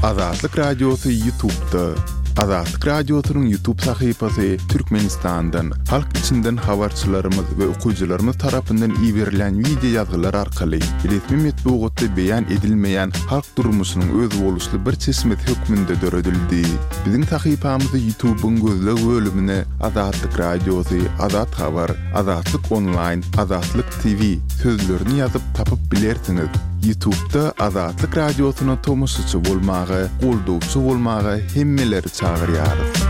Azatlyk Radiosy Ýutubda. Azatlyk Radiosynyň Ýutub sahypasy Türkmenistandan, halk içinden habarçylarymyz we okyjylarymyz tarapyndan iberilýän wideo ýazgylar arkaly resmi metbugatda beýan edilmeýän halk durmuşynyň özboluşly bir çeşmesi hökmünde döredildi. Biziň sahypamyzy Ýutubyň gözleg bölümine Azatlyk Radiosy, Azat Habar, Azatlyk Onlaýn, Azatlyk TV sözlerini ýazyp tapyp bilersiňiz. Ýutubda Azatlyk Radiosyna tomaşaçy bolmaga, goldawçy bolmaga hemmeleri çagyrýarys.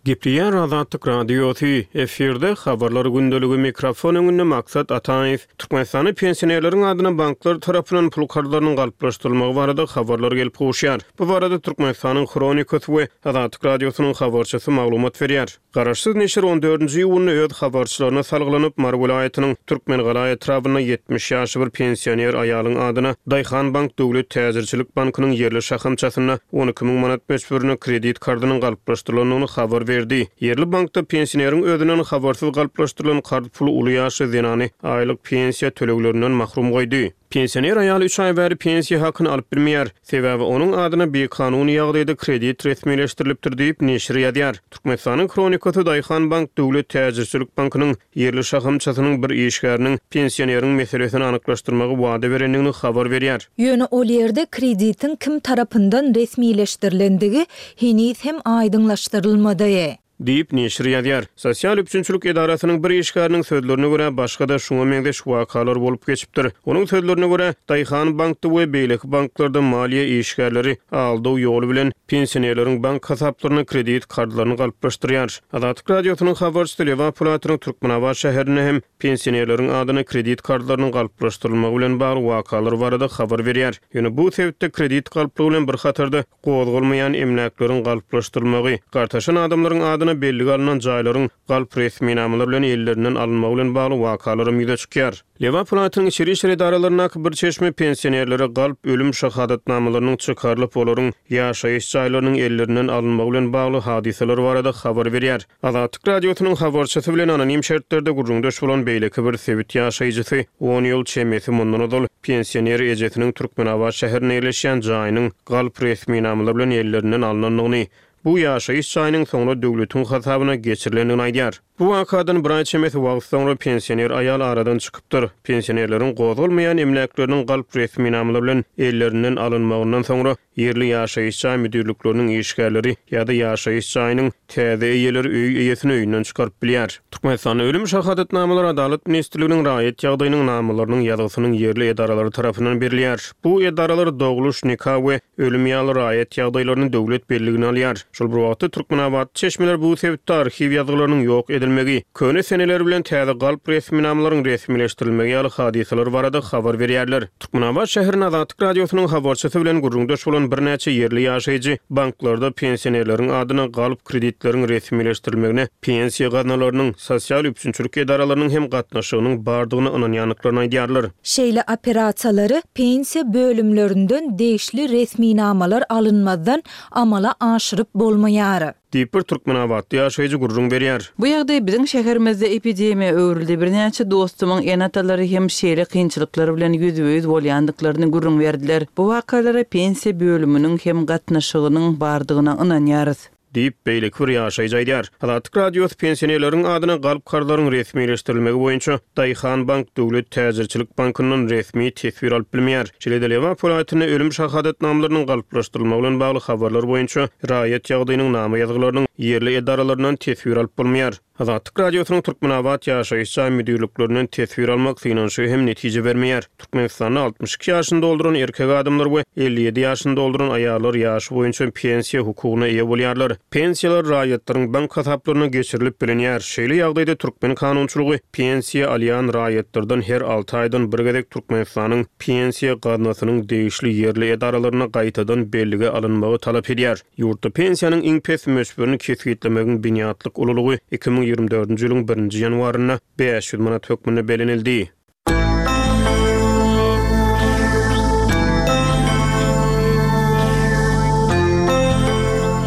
Gepleýär Azatlyk Radiosy, efirde Habarlar gündeligi, mikrofon öňünde Maksat Ataýew. Türkmenistanda pensionerleriň adyna banklar tarapyndan pul karzlarynyň galplaşdyrylmagy barada habarlar gelip gowuşýar. Bu barada Türkmenistanyň Hronikasy we Azatlyk Radiosynyň habarçysy maglumat berýär. Garaşsyz neşir on dördünji iýunda öz habarçylaryna salgylanyp, Mary welaýatynyň Türkmengala etrabynda 70 ýaşly bir pensioner aýalyň adyna Daýhanbank döwlet täjirçilik bankynyň ýerli şahamçasynda 12 müň manat möçberinde kredit karzynyň galplaşdyrylandygyny habar berdi. Ýerli bankda pensioneriň özünden habarsyz galplaşdyrylan karz puly uly ýaşly zenany aýlyk pensiýa töleglerinden mahrum goýdy. Pensioner aýal üç aý bäri pensiýa hakyny alyp bilmeýär. Sebäbi onuň adyna bikanun ýagdaýda kredit resmileşdirilipdir diýip, neşir ýazýar. Türkmenistanyň Hronikasy Daýhanbank döwlet täjirçilik bankynyň ýerli şahamçasynyň bir işgäriniň pensioneriň meselesini anyklaşdyrmagy wada berendigini habar berýär. Ýöne ol ýerde kreditiň kim tarapyndan resmileşdirilendigi heniz hem aýdyňlaşdyrylmady. Diýip, neşir ýazýar. Sosial üpjünçilik edarasynyň bir işgäriniň sözlerine görä, başga-da şuňa meňzeş wakalar bolup geçipdir. Onuň sözlerine görä, Daýhan bankda we beýleki banklarda maliýe işgärleri aldaw ýoly bilen pensionerleriň bank hasaplaryna kredit karzlaryny galplaşdyrýar. Azatlyk Radiosynyň habarçysy Lebap welaýatynyň Türkmenabat şäherinde hem pensionerleriň adyna kredit karzlarynyň galplaşdyrylmagy bilen bagly wakalar barada habar berýär. Ýöne bu sebitde kredit galplygy bilen bir hatarda, gozgalmaýan emläkleriň galplaşdyrylmagy, gartaşan adamlaryň adyna bellige alnan jaýlaryň galp resminamalar bilen ellerinden alynmagy bilen bagly wakalaram ýüze çykýar. Lebap welaýatynyň içeri işler edaralaryndaky bir çeşme pensionerlere galp ölüm şahadatnamalarynyň çykarylyp, olaryň ýaşaýyş jaýlarynyň ellerinden alynmagy bilen bagly hadysalar barada habar berýär. Azatlyk Radiosynyň habarçysy bilen anonim şertlerde gürrüňdeş bolan beýleki bir sebit ýaşaýjysy on ýyl çemesi mundan ozal pensioner ejesiniň Türkmenabat şäherinde ýerleşýän jaýynyň galp resminamalar bilen ellerinden alnandygyny, bu ýaşaýyş jaýynyň soňra döwletiň hasabyna geçirilendigini aýdýar. Bu wakadan bir aý çemesi wagt soňra pensioner aýal aradan çykypdyr. Pensionerleriň gozgalmaýan emläkleriniň galp resminamalar bilen ellerinden alynmagyndan soňra Ýerli ýaşaýyş jaý müdirlikleriniň işgärleri ýa-da ýaşaýyş jaýynyň täze eýeleri öý eýesini öýünden çykaryp bilýär. Türkmenistanda ölüm şahadatnamalary Adalat ministrliginiň raýat ýagdaýynyň namalarynyň ýazgysynyň ýerli edaralary tarapyndan berilýär. Bu edaralar dogluş, nika we ölüm ýaly raýat ýagdaýlaryny döwlet belligine alýar. Şol bir wagtda, türkmenabatly çeşmeler bu sebitde arhiw ýazgylarynyň ýok edilmegi, köne seneler bilen täze galp resminamalaryň resmileşdirilmegi ýaly hadysalar barada habar berýärler. Türkmenabat şäherinde Azatlyk Radiosynyň habarçysy bilen gürrüňdeş bolan birnäçe ýerli ýaşaýjy banklarda pensionerleriň adyna galp kreditleriň resmileşdirilmegine pensiýa gaznalarynyň, sosial üpjünçilik edaralarynyň hem gatnaşygynyň bardygyna ynanýandyklaryny aýdýarlar. Şeýle operasiýalary pensiýa bölümlerinden degişli resminamalar alynmazdan amala aşyryp bolmaýar. Diýip, bir türkmenabatly ýaşaýjy gürrüň berýär. Bu ýagdaý biziň şäherimizde epidemiýa öwrüldi. Birnäçe dostumyň ene-atalary hem şeýle kynçylyklar bilen ýüzbe-ýüz bolýandyklaryny gürrüň berdiler. Bu wakalara pensiýa bölüminiň hem gatnaşygynyň bardygyna ynanýarys. Diýip, beýleki bir ýaşaýjy aýdýar. Azatlyk Radiosy pensionerleriň adyna galp karzlaryň resmileşdirilmegi boýunça Daýhanbank döwlet täjirçilik bankyndan resmi teswir alyp bilmeýär. Şeýle-de Lebap welaýatynda ölüm şahadatnamalarynyň galplaşdyrylmagy bilen bagly habarlar boýunça raýat ýagdaýynyň nama ýazgylarynyň ýerli edaralaryndan teswir alyp bolmaýar. Azatlyk Radiosynyň Türkmenabat ýaşaýyş jaý müdirliklerinden teswir almak synanyşygy hem netije bermeýär. Türkmenistanda 62 ýaşyny dolduran erkek adamlar we 57 ýaşyny dolduran aýallar ýaşy boýunça pensiýa hukugyna eýe bolýarlar. Pensiýalar raýatlaryň bank hasaplaryna geçirilip bilinýär. Şeýle ýagdaýda türkmen kanunçylygy pensiýa alýan raýatlardan her alty aýdan bir gezek Türkmenistanyň Pensiýa gaznasynyň degişli ýerli edaralarynda gaýtadan bellige alynmagy talap edýär. Ýurtda pensiýanyň iň pes möçberini kesgitlemegiň binýatlyk ululygy 2024-nji ýylyň birinji ýanwarynda 500 manat hökmünde bellenildi.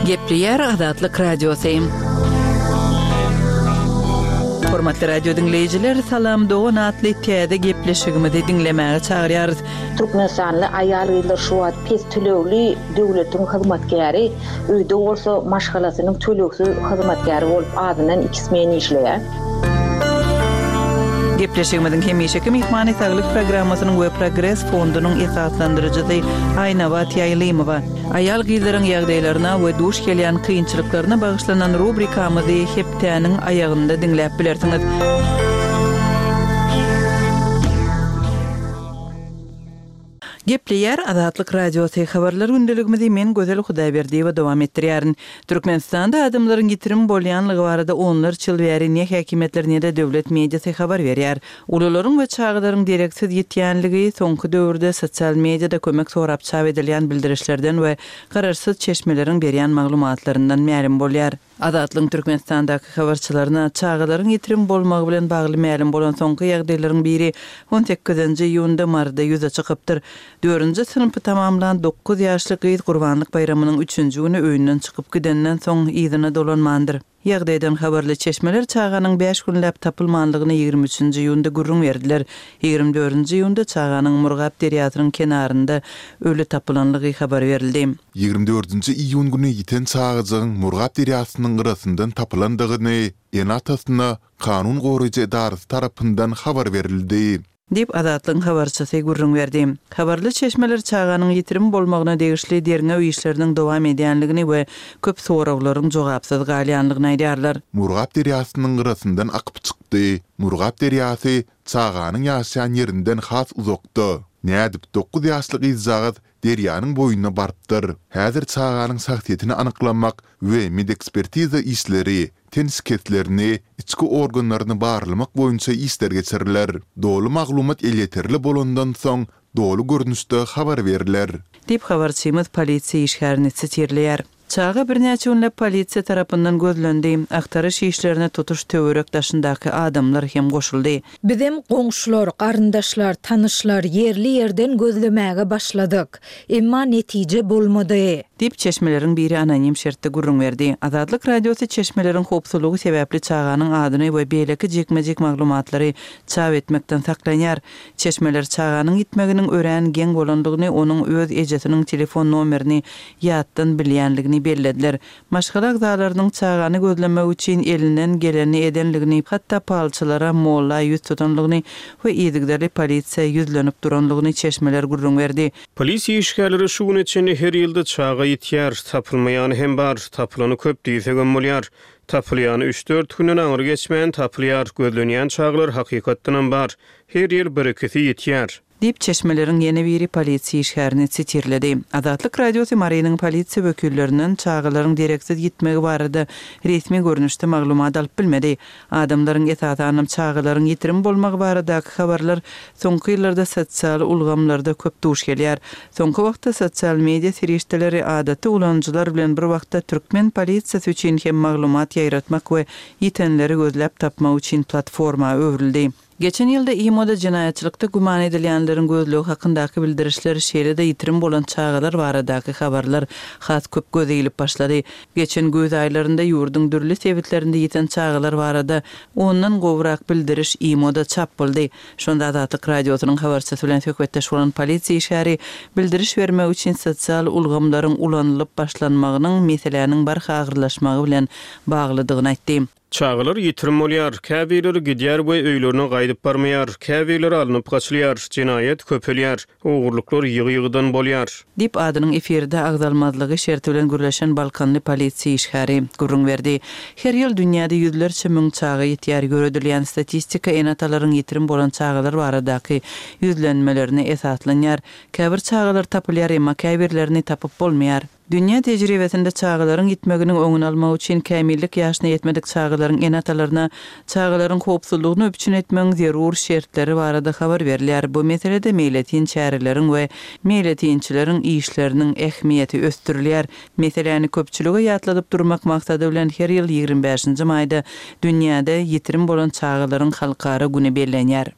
Gepleýär Azatlyk Radiosy. Hormatly radio diňleýjiler, Salam dogan atly täze gepleşigimizi diňlemäge çagyrýarys. Türkmenistanly aýal-gyzlar şu wagt pes tölegli döwletiň hyzmatkäri, öýde bolsa maşgalasynyň tölegsiz hyzmatkäri bolup azyndan iki smen işleýär. Gepleşigimiziň hemişeki myhmany Saglyk programmasynyň we Progres fondunyň esaslandyryjysy Aýnabat Ýaýlymowa. Aýal-gyzlaryň ýagdaýlaryna we duş gelýän kynçylyklaryna bagyşlanan rubrikamyzy hepdäniň aýagynda diňläp bilersiňiz. Gepleýär Azatlyk Radiosy, Habarlar gündeligimizi men Gözel Hudaýberdiýewa dowam etdirýärin. Türkmenistanda adamlaryň ýitirim bolýanlygy barada onlarça ýyl bäri ne häkimiýetler ne-de döwlet mediasy habar berýär. Ulularyň we çagalaryň dereksiz ýitýänligi soňky döwürde sosial mediada kömek sorap çap edilýän bildirişlerden we garaşsyz çeşmeleriň berýän maglumatlaryndan mälim bolýar. Azatlygyň Türkmenistandaky habarçylaryna çagalaryň ýitirim bolmagy bilen bagly mälim bolan soňky ýagdaýlaryň biri on sekizinji iýunda Maryda ýüze çykypdyr. Dördünji synpy tamamlan dokuz ýaşly gyz Gurbanlyk baýramynyň üçünji güni öýünden çykyp gidenden soň yzyna dolanmandyr. Ýagdaýdan habarly çeşmeler çaganyň bäş günläp tapylmanlygyny ýigrimi üçünji iýunda gürrüň berdiler. Ýigrimi dördünji iýunda çaganyň Murgap derýasynyň kenarynda öli tapylanlygy habar berildi. Ýigrimi dördünji iýun güni ýiten çagajygyň Murgap derýasynyň gyrasyndan tapylandygyny ene-atasyna kanun goraýjy edarasy tarapyndan habar berildi. Diýip, Azatlygyň habarçysy gürrüň berdi. Habarly çeşmeler çaganyň ýitirim bolmagyna degişli derňew işleriniň dowam edýänligini we köp soraglaryň jogapsyz galýanlygyny aýdýarlar. Murgap derýasynyň gyrasyndan akyp çykdy. Murgap derýasy çaganyň ýaşaýan ýerinden has uzakda. Nädip dokuz ýaşly gyzjagaz derýanyň boýuna barypdyr. Häzir çaganyň şahsyýetini anyklamak we medekspertiza işleri, ten şikeslerini, içki organlaryny barlamak boýunça işler geçiriler. Doly maglumat elýeterli bolandan soň, doly görnüşde habar berler. Diýip, habarçymyz polisiýa işgärini sitirleýär. Çaga birnäçe günläp polisiýa tarapyndan gözlendi. Agtaryş işlerine tutuş töwerek daşyndaky adamlar hem goşuldy. Bizem goňşular, garyndaşlar, tanyşlar ýerli-ýerden gözlemäge başladyk. Emma netije bolmady. Diýip, çeşmeleriň biri anonim şertde gürrüň berdi. Azatlyk Radiosy çeşmeleriň howpsuzlygy sebäpli çaganyň adyny we beýleki jikme-jik maglumatlary çap etmekden saklanýar. Çeşmeler çaganyň ýitmeginiň örän geň bolandygyny, onuň öz ejesiniň telefon nomerini ýatdan bilýänligini bellediler. Maşgala agzalarynyň çagany gözlemek üçin elinden gelenini edenligini, hatda palçylara, molla ýüz tutanlygyny we yzygiderli polisiýa ýüzlenip duranlygyny çeşmeler gürrüň berdi. Polisiýa işgärleri şu güne çenli her ýylda çaga ýitýär, tapylmaýany hem bar, tapylany köp diýsegem bolýar. Tapylýany üç-dört günden aňry geçmän tapylýar, gözlenýän çagalar hakykatdanam bar, her ýyl bir-ikisi ýitýär. Diýip, çeşmeleriň ýene biri polisiýa işgärini sitirledi. Azatlyk Radiosy Marynyň polisiýa wekillerinden çagalaryň dereksiz ýitmegi barada resmi görnüşde maglumat alyp bilmedi. Adamlaryň, esasanam çagalaryň ýitirim bolmagy baradaky habarlar soňky ýyllarda sosial ulgamlarda köp duş gelýär. Soňky wagtda sosial media serişdeleri adaty ulanyjylar bilen bir wagtda türkmen polisiýasy üçin hem maglumat ýaýratmak we ýitenleri gözläp tapmak üçin platforma öwrüldi. Geçen ýylda IMO-da jenaýatçylykda güman edilýänleriň gözlegi hakyndaky bildirişler, şeýle-de ýitirim bolan çagalar baradaky habarlar has köp göze ilip başlady. Geçen güýz aýlarynda ýurduň dürli sebitlerinde ýiten çagalar barada ondan gowrak bildiriş IMO-da çap boldy. Şonda Azatlyk Radiosynyň habarçysy bilen söhbetdeş bolan polisiýa işgäri bildiriş bermek üçin sosial ulgamlaryň ulanylyp başlanmagynyň meseläniň barha agyrlaşmagy bilen baglydygyny aýtdy. Çagalar ýitirim bolýar, käbirleri gidýär we öýlerine gaýdyp barmaýar, käbirleri alnyp gaçylýar, jenaýat köpelýär, ogurlyklar ýygy-ýygydan bolýar. Diýip, adynyň efirde agzalmazlygy şerti bilen gürleşen balkanly polisiýa işgäri gürrüň berdi. Her ýyl dünýäde ýüzlerçe müň çaga ýitýär. Ýöredilýän statistika ene-atalaryň ýitirim bolan çagalar baradaky ýüzlenmelerine esaslanýar. Käbir çagalar tapylýar, emma käbirlerini tapyp bolmaýar. Dünýä tejribesinde çagalaryň ýitmeginiň öňüni almak üçin kämillik ýaşyna ýetmedik çagalaryň ene-atalaryna çagalaryň howpsuzlygyny üpjün etmegiň zerur şertleri barada habar berilýär. Bu meselede meýletin çäreleriň we meýletinçileriň işleriniň ähmiýeti ösdürilýär. Meseläni köpçülige ýatladyp durmak maksady bilen her ýyl 25-nji maýda dünýäde ýitirim bolan çagalaryň halkara güni bellenýär.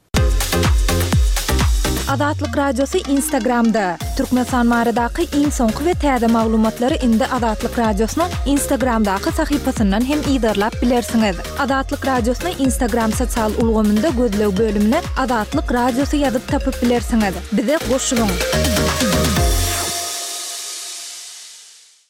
Azatlyk Radiosy Instagramda! Türkmenistan baradaky iň soňky we täze maglumatlary indi Azatlyk Radiosynyň Instagramdaky sahypasyndan hem yzarlap bilersiňiz. Azatlyk Radiosyny Instagram sosial ulgamynda gözleg bölümine Azatlyk Radiosy ýazyp tapyp bilersiňiz. Bize goşulyň!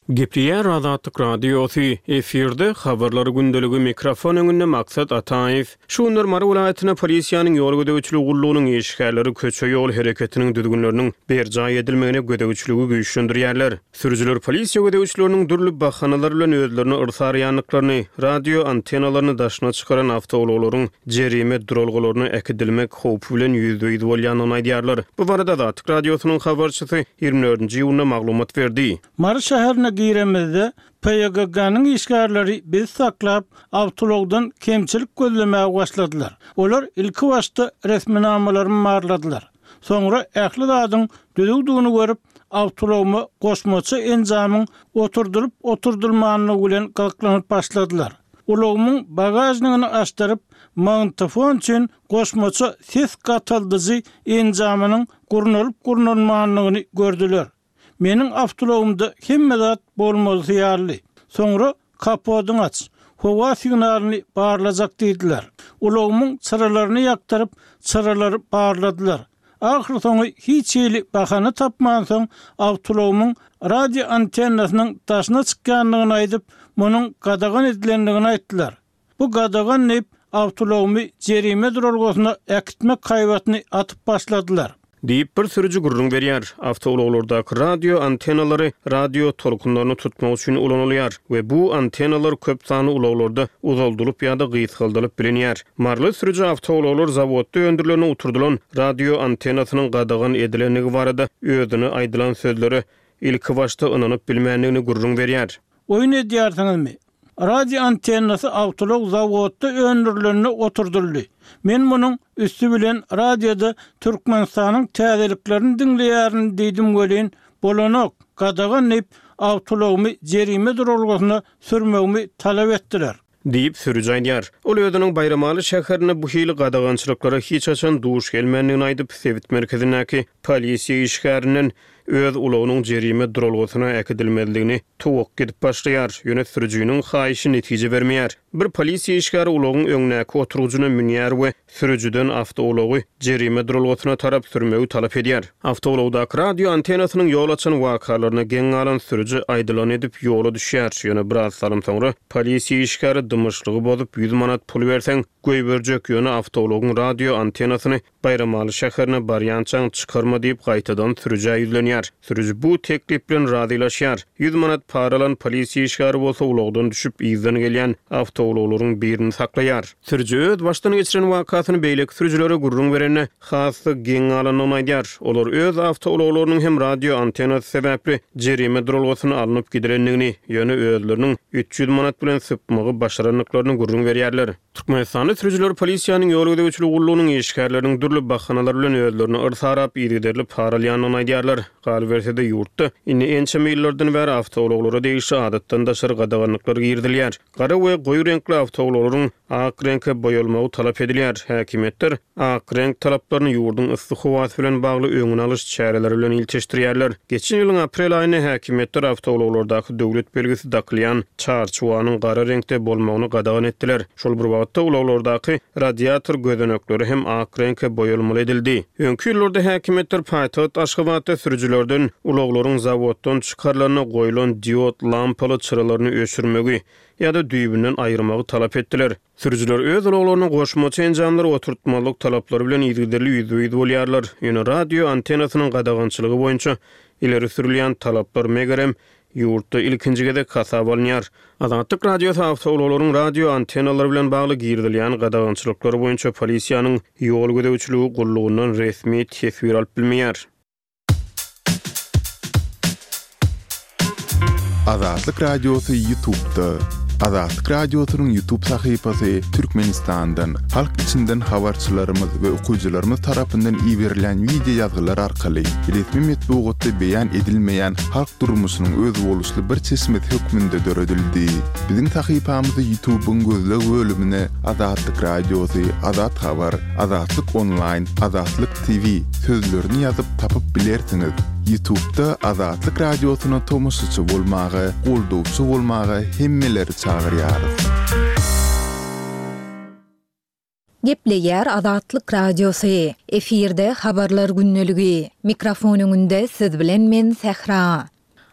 Gepleýär Azatlyk Radiosy, efirde Habarlar gündeligi mikrofon öňünde Maksat Ataýew. Şu günler Mary welaýatynda polisiýanyň ýol gözegçiligi gullugynyň işgärleri köçe-ýol hereketiniň düzgünleriniň berjaý edilmegine gözegçiligi güýçlendirýärler. Sürüjiler polisiýa gözegçileriniň dürli bahanalar bilen özlerine yrsaraýandyklaryny, radio antennalaryny daşyna çykaran awtoulaglaryň jerime duralgalaryna äkidilmek howpy bilen ýüzbe-ýüz bolýandygyny aýdýarlar. Bu barada Azatlyk Radiosynyň habarçysy 24-nji iýunda maglumat berdi. Mary şäherine giremizde, PYGG-nyň işgärleri bizi saklap, awtoulagdan kemçilik gözlemäge başladylar. Olar ilkibaşda resminamalarymy barladylar. Soňra ähli zadyň düzüwdigini görüp, awtoulagyma goşmaça enjamyň oturdylyp-oturdylmandygy bilen gyzyklanyp başladylar. Ulagymyň bagažnigini açdyryp, magnitofon üçin goşmaça ses gataldyjy enjamynyň gurnalyp-gurnalmandygyny gördüler. Meniň awtoulagymda hemme zat bolmalysy ýalydy. Soňra kapodyňy aç, howa signalyny barlajak diýdiler. Ulagymyň çyralaryny ýakdyryp, çyralary barladylar. Ahyrsoňy hiç hili bahana tapmansoň, awtoulagymyň radio antennasynyň daşyna çykýandygyny aýdyp, munuň gadagan edilendigini aýtdylar. Bu gadagan diýip, awtoulagymy jerime duralgasyna äkitmek haýbatyny atyp başladylar. Diýip, bir sürüji gürrüň berýär. Awtoulaglardaky radio antennalary radio tolkunlaryny tutmak üçin ulanylýar we bu antennalar köp sanly ulaglarda uzaldylyp ýa-da gysgaldylyp bilinýär. Maryly sürüji awtoulaglar zawodda öndürilende oturdylan radio antennasynyň gadagan edilendigi barada özüne aýdylan sözlere ilkibaşda ynanyp bilmändigini gürrüň berýär. Oýun edýärsiňizmi? Radio antennasy awtoulag zawodda öndürilende oturdyldy. Men munuň üsti bilen radioda Türkmenistanyň täzeliklerini diňleýärin diýdim welin, bolanok, gadagan diýip, awtoulagymy jerime duralgasyna sürmegimi talap etdiler. Diýip, sürüji aýdýar. Ol özüniň Baýramaly şäherinde bu hili gadagançylyklara hiç haçan duş gelmändigini aýdyp, sebit merkezindäki polisiýa işgärinden öz ulagynyň jerime duralgasyna äkidilmezligini towakga edip başlaýar. Ýöne sürüjiniň haýyşy netije bermeýär. Bir polisiýa işgäri ulagyň öňdäki oturgyjyna münýär we sürüjiden awtoulagy jerime duralgasyna tarap sürmegi talap edýär. Awtoulagdaky radio antennasynyň ýol açan wakalaryna geň galan sürüji aýdylany edip ýola düşýär. Ýöne biraz salym soňra polisiýa işgäri dymyşlygy bozup ýüz manat pul berseň goýberjek, ýöne awtoulagyň radio antennasyny Baýramaly şäherine barýançaň çykarma diýip gaýtadan sürüjä ýüzlenýär. Sürüji bu teklip bilen razylaşýar. Ýüz manat para alan polisiýa işgäri bolsa ulagdan düşüp yzdan gelýän awtoulaglaryň birini saklaýar. Sürüji öz başdan geçiren wakasyny beýleki sürüjilere gürrüň berende has-da geň galandygyny aýdýar. Olar öz awtoulaglarynyň hem radio antennasy sebäpli jerime duralgasyna alnyp gidilendigini, ýöne özleriniň 300 manat bilen sypmagy başarandyklaryny gürrüň berýärler. Türkmenistanly sürüjiler polisiýanyň ýol gözegçiligi gullugynyň işgärleriniň dürli bahanalar bilen özlerini yrsarap, yzygiderli para alýandygyny aýdýarlar. Galyberse-de, ýurtda indi ençeme ýyllardan bäri awtoulaglara degişli adatdan daşary gadaganlyklar girizilýär. Gara we goýy reňkli awtoulaglaryň ak reňke boýalmagy talap edilýär. Häkimiýetler ak reňk talaplaryny ýurduň yssy howasy bilen bagly öňüni alyş çäreleri bilen ilteşdirýärler. Geçen ýylyň aprel aýynda häkimiýetler awtoulaglardaky döwlet belgisi dakylýan çarçuwanyň gara reňkde bolmagyny gadagan etdiler. Şol bir wagtda, ulaglardaky radiator gözenekleri hem ak reňke boýalmaly edildi. Öňki ýyllarda häkimiýetler paýtagt Aşgabatda sürüjilerden ulaglaryň zawoddan çykarylanda goýlan diod lampaly çyralaryny öçürmegi ýa-da düýbünden aýyrmagy talap etdiler. Sürüjiler öz ulaglaryna goşmaça enjamlary oturtmazlyk talaplary bilen yzygiderli ýüzbe-ýüz bolýarlar. Ýöne radio antennasynyň gadagançylygy boýunça ileri sürülýän talaplar, megerem, ýurtda ilkinji gezek hasaba alynýar. Azatlyk Radiosy awtoulaglaryň radio antennalary bilen bagly girizilýän gadagançylyklar boýunça polisiýanyň ýol gözegçiligi gullugyndan resmi teswir alyp bilmeýär. Azatlyk Radiosy Ýutubda. Azatlyk Radiosynyň YouTube sahypasy Türkmenistandan, halk içinden habarçylarymyz we okyjylarymyz tarapyndan iberilýän wideo ýazgylar arkaly resmi metbugatda beýan edilmeýän halk durmuşynyň özboluşly bir çeşmesi hökmünde döredildi. Biziň sahypamyzy YouTube-yň gözleg bölümine Azatlyk Radiosy, Azat Habar, Azatlyk Onlaýn, Azatlyk TV sözlerini ýazyp tapyp bilersiňiz. Ýutubda Azatlyk Radiosyna tomaşaçy bolmaga, goldawçy bolmaga hemmeleri çagyrýarys. Gepleýär Azatlyk Radiosy. Efirde Habarlar gündeligi. Mikrofon öňünde siz bilen men Sähra.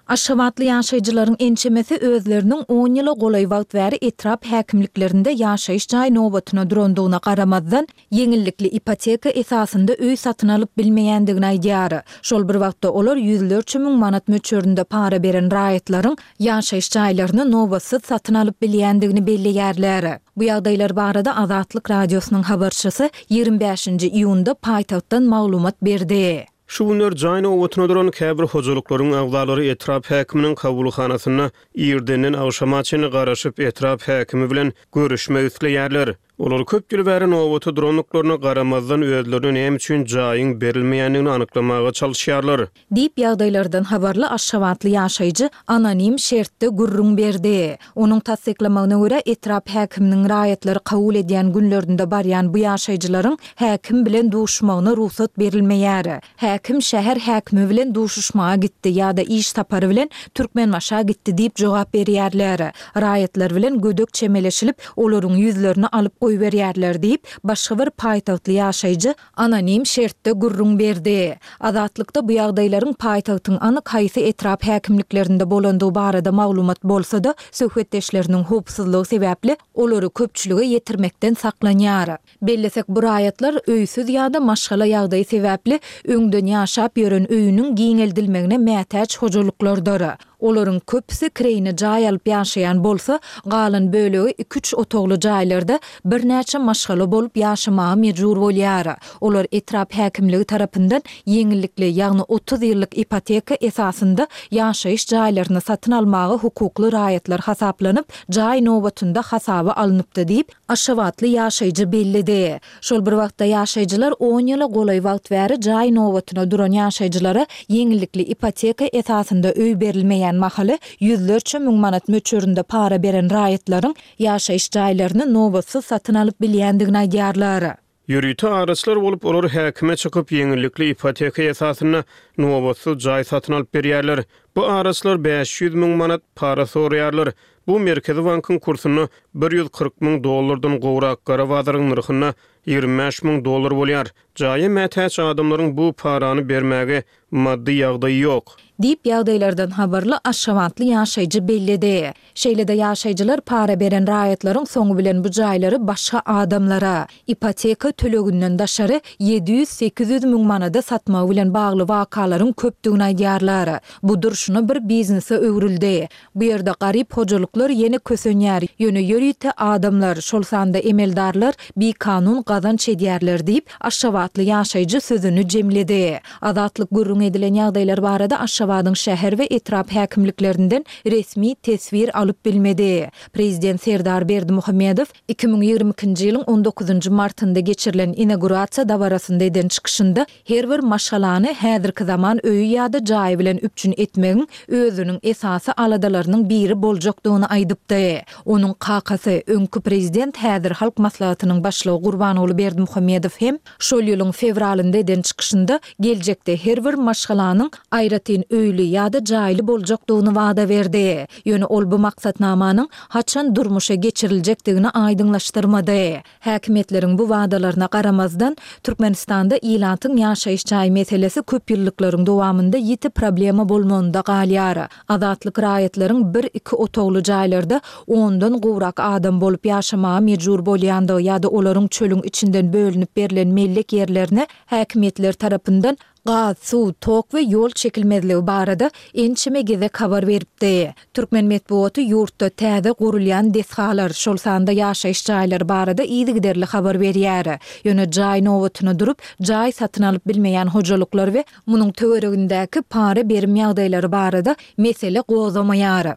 Aşgabatly ýaşaýjylaryň ençemesi özleriniň on ýyla golaý wagt bäri etrap häkimliklerinde ýaşaýyş jaý nobatyna durandygyna garamazdan, ýeňillikli ipoteka esasynda öý satyn alyp bilmeýändigini aýdýar. Şol bir wagtda, olar ýüzlerçe müň manat möçberinde para beren raýatlaryň ýaşaýyş jaýlaryny nobatsyz satyn alyp bilýändigini belleýärler. Bu ýagdaýlar barada Azatlyk Radiosynyň habarçysy 25-nji iýunda paýtagtdan maglumat berdi. Şu günler jaý nobatyna duran käbir hojalyklaryň agzalary etrap häkiminiň kabulhanasynda irdenden agşama çenli garaşyp, etrap häkimi bilen görüşmek isleýärler. Olar köp ýyl bäri nobata durandyklaryna garamazdan, özlerine näme üçin jaýyň berilmeýändigini anyklamaga çalyşýarlar. Diýip, ýagdaýlardan habarly aşgabatly ýaşaýjy anonim şertde gürrüň berdi. Onuň tassyklamagyna görä, etrap häkiminiň raýatlary kabul edýän günlerinde barýan bu ýaşaýjylaryň häkim bilen duşmagyna rugsat berilmeýär. Häkim şäher häkimi bilen duşuşmaga gitdi ýa-da iş sapary bilen Türkmenbaşa gitdi diýip jogap berýärler. Raýatlar bilen gödek çemeleşilip, olaryň ýüzlerini alyp goýberýärler diýip, başga bir paýtagtly ýaşaýjy anonim şertde gürrüň berdi. Azatlykda bu ýagdaýlaryň paýtagtyň anyk haýsy etrap häkimliklerinde bolandygy barada maglumat bolsa-da, söhbetdeşleriniň howpsuzlygy sebäpli olary köpçülige ýetirmekden saklanýar. Bellesek, bu raýatlar öýsüz ýa-da maşgala ýagdaýy sebäpli öňden ýaşap ýören öýüniň giňeldilmegine mätäç hojalyklardyr. Olaryň köpüsi kireýine jaý alyp ýaşaýan bolsa, galan bölegi iki-üç otagly jaýlarda birnäçe maşgala bolup ýaşamaga mejbur bolýar. Olar etrap häkimligi tarapyndan ýeňillikli, ýagny 30 ýyllyk ipoteka esasynda ýaşaýyş jaýlaryny satyn almaga hukukly raýatlar hasaplanyp, jaý nobatynda hasaba alnypdy diýip, Aşgabatly ýaşaýjy belledi. Şol bir wagtda ýaşaýjylar on ýyla golaý wagt bäri jaý nobatyna duran ýaşaýjylara ýeňillikli ipoteka esasynda öý berilmeýän mahaly ýüzlerçe müň manat möçberinde para beren raýatlaryň ýaşaýyş jaýlaryny nobatsyz satyn alyp bilýändigini aýdýarlar. Ýörite araçylar bolup, olar häkime çykyp, ýeňillikli ipoteka esasynda nobatsyz jaý satyn alyp berýärler. Bu araçylar 500 müň manat para soraýarlar. Bu Merkezi bankyň kursunda 140 müň dollardan gowrak, gara bazaryň nyrhynda 25 müň dollar bolýar. Jaýa mätäç adamlaryň bu parany bermäge maddy ýagdaýy ýok. Diýip, ýagdaýlardan habarly aşgabatly ýaşaýjy belledi. Şeýle-de ýaşaýjylar para beren raýatlaryň soňy bilen bu jaýlary başga adamlara, ipoteka töleginden daşary, 700-800 müň manada satmagy bilen bagly wakalaryň köpdügini aýdýarlar. Bu durşuna bir biznese öwrüldi. Bu ýerde garyp hojalyklar ýene kösenýär, ýöne ýörite adamlar, şol sanda emeldarlar bikanun gazanç edýärler diýip, aşgabatly ýaşaýjy sözüni jemledi. Azatlyk gürrüň edilen ýagdaýlar barada Aşgabadyň şäher we etrap häkimliklerinden resmi teswir alyp bilmedi. Prezident Serdar Berdimuhamedow 2022-nji ýylyň on dokuzynjy martynda geçirilen inagurasiýa dabarasynda eden çykyşynda Her bir maşgalany häzirki zaman öýi ýa-da jaýy bilen üpjün etmegiň özüniň esasy aladalarynyň biri boljakdygyny aýdypdy. Onuň kakasy, öňki prezident, häzir Halk Maslahatynyň başlygy Gurbanguly Berdimuhamedow hem şol ýylyň fewralynda eden çykyşynda geljekde her bir maşgalanyň aýratyn öýli ýa-da jaýly boljakdygyny wada berdi. Ýöne ol bu maksatnamanyň haçan durmuşa geçiriljekdigini aýdyňlaşdyrmady. Häkimiýetleriň bu wadalaryna garamazdan, Türkmenistanda ilatyň ýaşaýyş jaý meselesi köp ýyllyklaryň dowamynda ýiti problema bolmagynda galýar. Azatlyk raýatlaryň bir-iki otagly jaýlarda ondan gowrak adam bolup ýaşamaga mejbur bolýandygy ýa-da olaryň çölüň içinden bölünip berlen mellek ýerlerine häkimiýetler tarapyndan gaz, suw, tok we ýol çekilmezligi barada ençeme gezek habar beripdi. Türkmen metbugaty ýurtda täze gurulýan desgalar, şol sanda ýaşaýyş jaýlary barada yzygiderli habar berýär. Ýöne jaý nobatyna durup, jaý satyn alyp bilmeýän hojalyklar we munuň töweregindäki para-berim ýagdaýlary barada mesele gozgamaýar.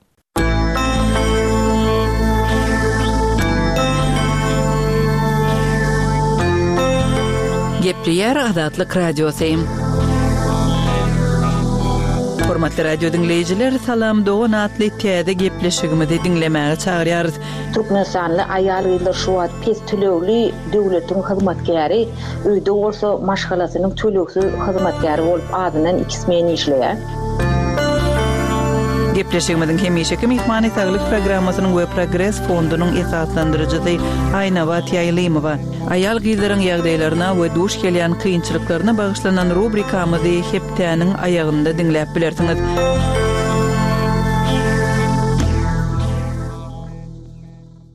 Gepleýär Azatlyk Radiosy. Hormatly radio diňleýjiler, Salam dogan atly täze gepleşigimizi diňlemäge çagyrýarys. Türkmenistanly aýal-gyzlar şu wagt pes tölegli döwletiň hyzmatkäri, öýde bolsa maşgalasynyň tölegsiz hyzmatkäri bolup azyndan iki smen işleýär. Gepleşigimiziň hemişeki myhmany Saglyk programmasynyň we Progres fondunyň esaslandyryjysy Aýnabat Ýaýlymowa. Aýal-gyzlaryň ýagdaýlaryna we duş gelýän kynçylyklaryna bagyşlanan rubrikamyzy hepdäniň aýagynda diňläp bilersiňiz.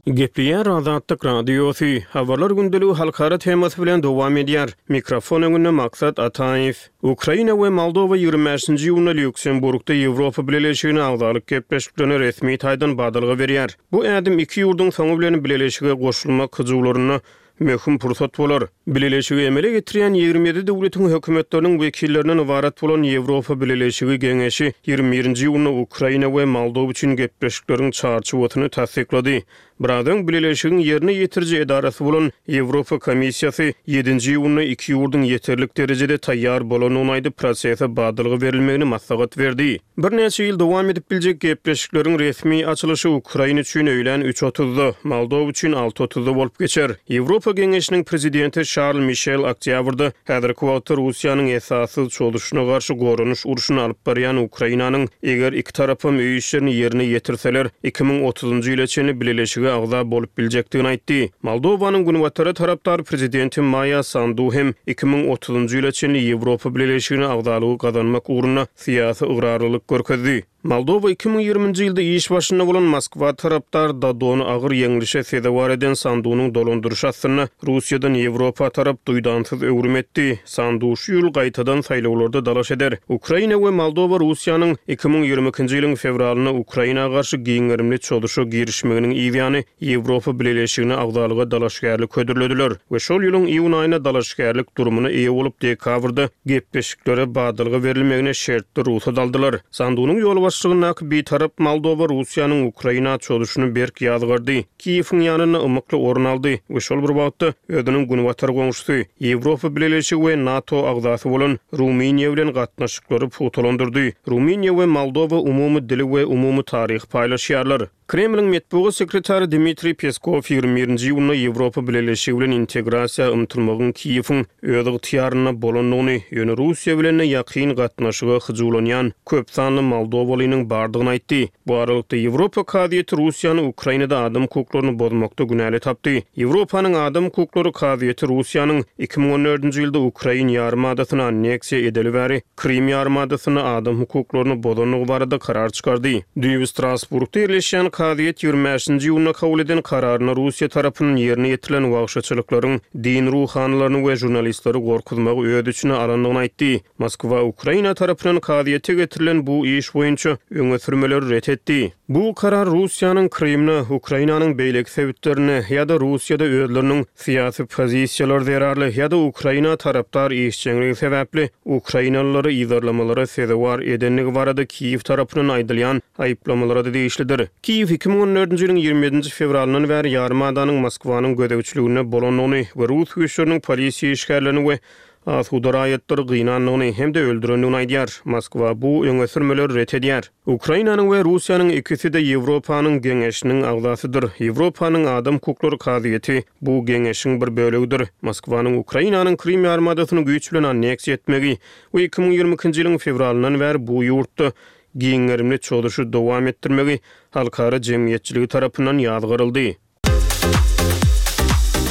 Gepleýär Azatlyk Radiosy, Habarlar gündeligi halkara temasy bilen dowam edýär. Mikrofon öňünde Maksat Ataýew. Ukraina we Moldowa 25-nji iýunda Lýuksemburgda Ýewropa Bileleşigine agzalyk gepleşiklerine resmi taýdan badalga berýär. Bu ädim iki ýurduň soňy bilen bileleşige goşulmak hyjuwlarynda möhüm pursat bolar. Bileleşigi emele getirýän 27 döwletiň hökümetleriniň wekillerinden ybarat bolan Ýewropa Bileleşigi Geňeşi 21-nji iýunda Ukraina we Moldowa üçin gepleşikleriň çarçuwasyny tassyklady. Biraz öň Bileleşigiň ýerine ýetiriji edarasy bolan Ýewropa Komissiýasy ýedinji iýunda iki ýurduň ýeterlik derejede taýýar bolandygyny aýdyp, prosese badalga berilmegini maslahat berdi. Birnäçe ýyl dowam edip biljek gepleşikleriň resmi açylyşy Ukraina üçin öýlän üç otuzda, Moldowa üçin alty otuzda bolup geçer. Ýewropa Geňeşiniň Prezidenti Şarl Mişel oktýabrda häzirki wagtda Russiýanyň esassyz çozuşyna garşy goranyş urşuny alyp barýan Ukrainanyň, eger iki tarapam öý işlerini ýerine ýetirseler, 2030-njy ýyla çenli bileleşige agza bolup biljekdigini aýtdy. Moldowanyň Günbatara tarapdar prezidenti Maýa Sandu hem 2030-njy ýyla çenli Ýewropa Bileleşigine agzalygy gazanmak ugrunda syýasy ygrarlylyk görkezdi. Moldowa 2020-nji ýylda iş başynda bolan Moskwa tarapdar Dodony agyr ýeňlişe sezewar eden Sandunyň dolandyryşy astynda Russiýadan Ýewropa tarap duýdansyz öwrüm etdi. Sandu şu ýyl gaýtadan saýlawlarda dalaş eder. Ukraina we Moldowa Russiýanyň 2022-nji ýylyň fewralynda Ukraina garşy giň gerimli çozuşa girişmeginiň yzýany Ýewropa Bileleşigine agzalyga dalaşgärlik hödürlediler we şol ýylyň iýun aýynda dalaşgärlik durumyna eýe bolup, dekabrda gepleşiklere badalga berilmegine şertli rugsat aldylar. Sandunyň ýolbaşçylygyndaky bitarap Moldowa Russiýanyň Ukraina çozuşyny berk ýazgardy, Kiýewiň ýanynda ymykly orun aldy we şol bir wagtda özüniň günbatar goňşusy, Ýewropa Bileleşigi we NATO agzasy bolan Rumyniýa bilen gatnaşyklary pugtalandyrdy. Rumyniýa we Moldowa umumy dili we umumy taryhy paýlaşýarlar. Kremliň metbugat sekretary Dmitriý Peskow 21-nji iýunda Ýewropa Bileleşigi bilen integrasiýa ymtylmagyň Kiýewiň öz ygtyýarynda bolandygyny, ýöne Russiýa bilen-de ýakyn gatnaşyga hyjuwlanýan köp sanly moldowalynyň bardygyny aýtdy. Bu aralykda, Ýewropa kazyýeti Russiýany Ukrainada adam hukuklaryny bozmakda günäli tapdy. Ýewropanyň adam hukuklary kazyýeti Russiýanyň 2014-nji ýylda ukrain ýarym adasyny anneksiýa edeli bäri Krym ýarymadasynda adam hukuklaryny bozandygy barada karar çykardy. Düýbi Strasburgda ýerleşýän kazyýet 25-nji iýunda kabul eden kararynda Russiýa tarapyndan ýerine ýetirilen wagşyçylyklaryň din ruhanylaryny we žurnalistleri gorkuzmagy öz içine alandygyny aýtdy. Moskwa Ukraina tarapyndan kazyýete getirilen bu iş boýunça öňe sürmeleri ret etdi. Bu karar Russiýanyň Krymda, Ukrainanyň beýleki sebitlerinde ýa-da Russiýada özleriniň syýasy pozisiýalary zerarly ýa-da Ukraina tarapdar işjeňligi sebäpli ukrainalylary yzarlamalara sezewar edendigi barada Kiýew tarapyndan aýdylýan aýyplamalara-da degişlidir. Kiýew 2014-nji ýylyň 27-nji fewralyndan bäri ýarym adanyň Moskwanyň gözegçiliginde bolandygyny we rus güýçleriniň polisiýa işgärlerini we asuda raýatlary gynandygyny hem-de öldürendigini aýdýar. Moskwa bu öňe sürmeleri ret edýär. Ukrainanyň we Russiýanyň ikisi-de Ýewropanyň Geňeşiniň agzasydyr. Ýewropanyň Adam hukuklary kazyýeti bu Geňeşiň bir bölegidir. Moskwanyň Ukrainanyň Krym ýarymadasyny güýç bilen anneksiýa etmegi we 2022-nji ýylyň fewralyndan bäri bu ýurtda giň gerimli çozuşy dowam etdirmegi halkara jemgyýetçiligi tarapyndan ýazgaryldy.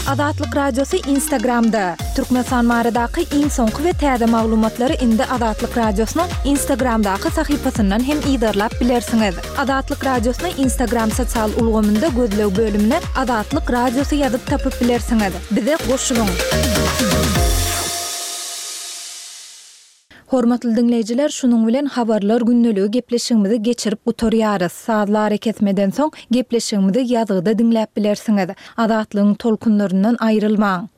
Azatlyk Radiosy Instagramda, Türkmenistan baradaky iň soňky we täze maglumatlary indi Azatlyk Radiosynyň Instagramdaky sahypasyndan hem yzarlap bilersiňiz. Azatlyk Radiosyny Instagram sosial ulgamynda gözleg bölümine Azatlyk Radiosy ýazyp tapyp bilersiňiz. Bize goşulyň! Hormatly diňleýjiler, şunuň bilen Habarlar gündeligi gepleşigimizi geçirip gutarýarys. Sazly arakesmeden soň gepleşigimizi ýazgyda diňläp bilersiňiz. Azatlygyň tolkunlaryndan aýrylmaň!